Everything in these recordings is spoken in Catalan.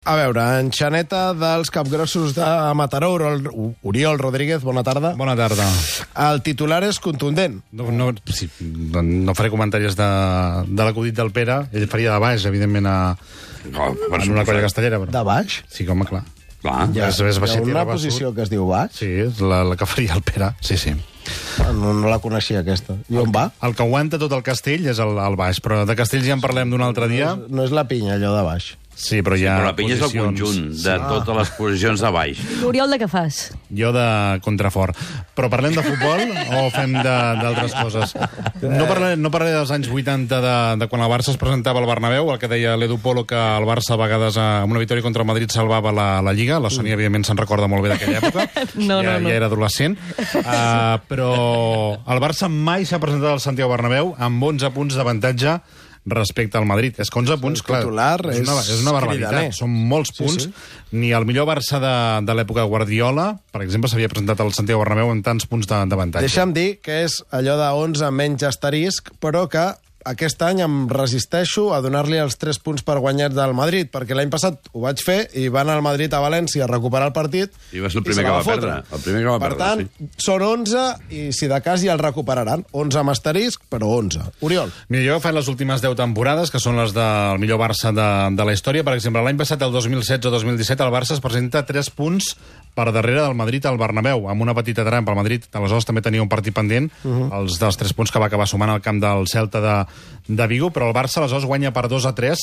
A veure, enxaneta dels capgrossos de Mataró, Oriol Rodríguez, bona tarda. Bona tarda. El titular és contundent. No faré comentaris de l'acudit del Pere. Ell faria de baix, evidentment, en una colla castellera. Però... De baix? Sí, home, clar. Hi ha una posició que es diu baix? Sí, és la que faria el Pere, sí. No la coneixia, aquesta. I on va? El que aguanta tot el castell és el baix, però de castells ja en parlem d'un altre dia. No és la pinya, allò de baix. Sí, però hi ha però la pinya posicions... és el conjunt de totes les posicions de baix. L'Oriol, de què fas? Jo de contrafort. Però parlem de futbol o fem d'altres coses? No parlaré dels anys 80 de quan el Barça es presentava al Bernabéu, el que deia l'Edu Polo, que el Barça a vegades amb una victòria contra el Madrid salvava la Lliga. La Sònia, evidentment, se'n recorda molt bé d'aquella època. No. Ja era adolescent. Però el Barça mai s'ha presentat al Santiago Bernabéu amb 11 punts d'avantatge respecte al Madrid. És que 11 punts, clar, és una barbaritat. Són molts punts. Sí. Ni el millor Barça de l'època Guardiola, per exemple, s'havia presentat al Santiago Bernabéu amb tants punts d'avantatge. Deixa'm dir que és allò de 11 menys asterisc, però que aquest any em resisteixo a donar-li els 3 punts per guanyats del Madrid, perquè l'any passat ho vaig fer i van al Madrid a València a recuperar el partit. I va ser el primer que va perdre. Per tant, són 11 i si de cas ja el recuperaran. 11 amb asterisc, però 11. Oriol. Mira, jo he fet les últimes 10 temporades, que són les del millor Barça de la història. Per exemple, l'any passat, el 2016-2017, el Barça es presenta 3 punts per darrere del Madrid al Bernabéu, amb una petita trampa. El Madrid, aleshores, també tenia un partit pendent, els dels 3 punts que va acabar sumant al camp del Celta de Vigo, però el Barça aleshores guanya per 2-3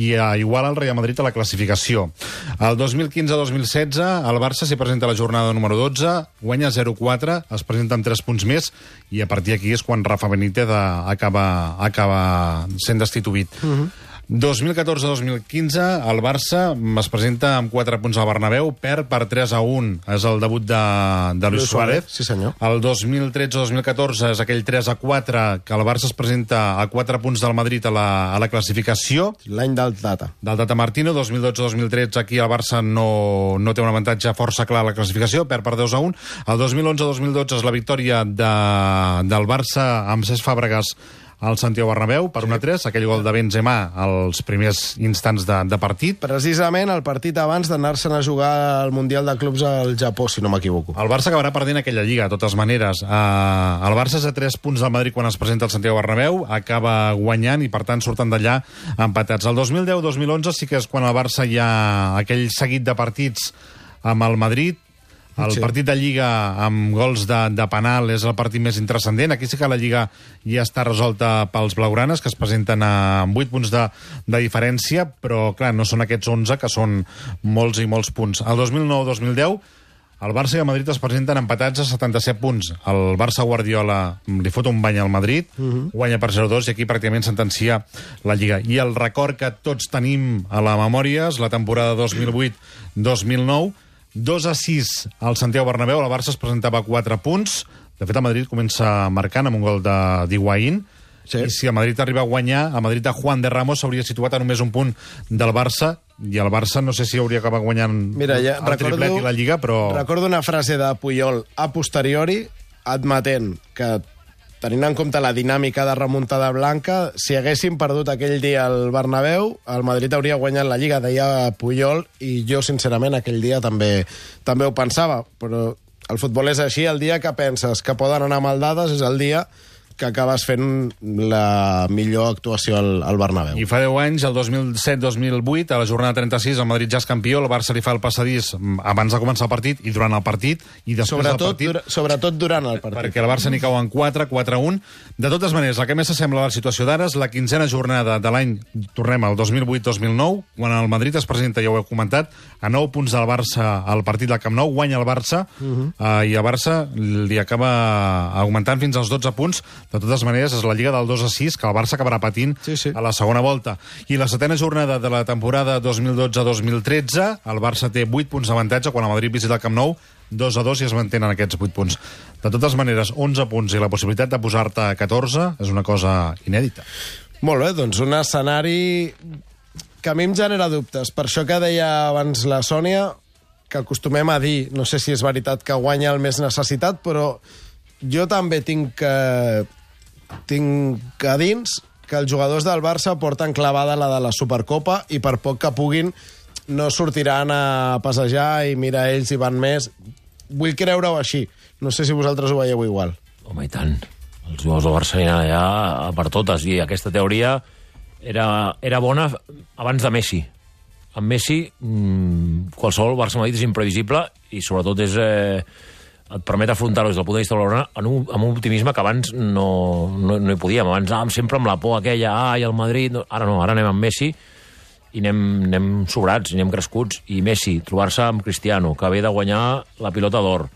i iguala el Real Madrid a la classificació. El 2015-2016 el Barça s'hi presenta a la jornada número 12, guanya 0-4, es presenta amb 3 punts més i a partir d'aquí és quan Rafa Benítez acaba sent destituït. 2014-2015 el Barça es presenta amb 4 punts al Bernabéu, perd per 3-1, és el debut de Luis Suárez. Sí, senyor. El 2013-2014 és aquell 3-4 que el Barça es presenta a 4 punts del Madrid a la classificació. L'any del Tata. Del Tata Martino. 2012-2013 aquí el Barça no té un avantatge força clar a la classificació, perd per 2-1. El 2011-2012 és la victòria del Barça amb Cesc Fàbregas al Santiago Bernabéu per 1-3, aquell gol de Benzema als primers instants de partit. Precisament el partit abans d'anar-se'n a jugar al Mundial de Clubs al Japó, si no m'equivoco. El Barça acabarà perdent aquella lliga, de totes maneres. El Barça és a 3 punts del Madrid quan es presenta al Santiago Bernabéu, acaba guanyant i per tant surten d'allà empatats. El 2010-2011 sí que és quan el Barça hi ha aquell seguit de partits amb el Madrid. El partit de Lliga amb gols de penal és el partit més intrascendent. Aquí sí que la Lliga ja està resolta pels blaugranes, que es presenten amb 8 punts de diferència, però clar, no són aquests 11, que són molts i molts punts. El 2009-2010 el Barça i el Madrid es presenten empatats a 77 punts. El Barça Guardiola li fot un bany al Madrid, guanya per 0-2 i aquí pràcticament sentencia la Lliga. I el record que tots tenim a la memòria és la temporada 2008-2009, 2-6 al Santiago Bernabéu, el Barça es presentava a 4 punts. De fet, el Madrid comença marcant amb un gol d'Higuaín. Sí. I si el Madrid arriba a guanyar, el Madrid de Juan de Ramos s'hauria situat a només un punt del Barça, i el Barça no sé si hauria acabat guanyant el triplet i la Lliga, però... Recordo una frase de Puyol a posteriori, admetent que, tenint en compte la dinàmica de remuntada blanca, si haguéssim perdut aquell dia al Bernabéu, el Madrid hauria guanyat la Lliga, deia Puyol, i jo, sincerament, aquell dia també ho pensava. Però el futbol és així, el dia que penses que poden anar mal dades és el dia que acabes fent la millor actuació al Bernabéu. I fa 10 anys, el 2007-2008, a la jornada 36, el Madrid ja és campió, el Barça li fa el passadís abans de començar el partit i durant el partit, i després del partit... Sobretot durant el partit. Perquè el Barça n'hi cau en 4-1. De totes maneres, el que més s'assembla a la situació d'ara és la 15a jornada de l'any, tornem al 2008-2009, quan el Madrid es presenta, ja ho heu comentat, a 9 punts del Barça al partit del Camp Nou, guanya el Barça, i el Barça li acaba augmentant fins als 12 punts. De totes maneres, és la Lliga del 2-6 que el Barça acabarà patint a la segona volta. I la 7a jornada de la temporada 2012-2013, el Barça té 8 punts d'avantatge quan el Madrid visita el Camp Nou, 2-2 i es mantenen aquests 8 punts. De totes maneres, 11 punts i la possibilitat de posar-te a 14 és una cosa inèdita. Molt bé, doncs un escenari que a mi em genera dubtes. Per això que deia abans la Sònia, que acostumem a dir, no sé si és veritat que guanya el més necessitat, però jo també tinc a dins que els jugadors del Barça porten clavada la de la Supercopa i per poc que puguin no sortiran a passejar i mira, ells hi van més. Vull creure-ho així. No sé si vosaltres ho veieu igual. Home, i tant. Els jugadors del Barça aniran allà per totes, i aquesta teoria era bona abans de Messi. Amb Messi, qualsevol Barça-Madrid és imprevisible i sobretot et permet afrontar-ho des del punt de vista blaugrana amb un optimisme que abans no hi podíem. Abans anàvem sempre amb la por aquella, i el Madrid... Ara no, ara anem amb Messi i anem sobrats, i anem crescuts. I Messi, trobar-se amb Cristiano, que ve de guanyar la Pilota d'Or,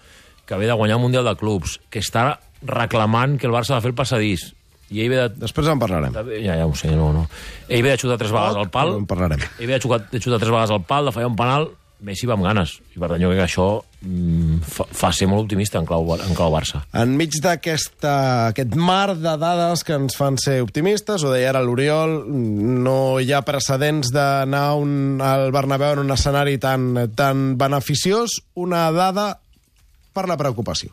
que ve de guanyar el Mundial de Clubs, que està reclamant que el Barça ha de fer el passadís. I ell ve de... Després en parlarem. Ja ho sé, no. Ell ve de xutar 3 vegades al pal. En parlarem. Ell ve de xutar 3 vegades al pal, de fallar un penal. Messi va amb ganes. I per tant, jo crec que això fa ser molt optimista en clau Barça. Enmig d'aquest mar de dades que ens fan ser optimistes, ho deia ara l'Oriol, no hi ha precedents d'anar al Bernabéu en un escenari tan beneficiós. Una dada per la preocupació.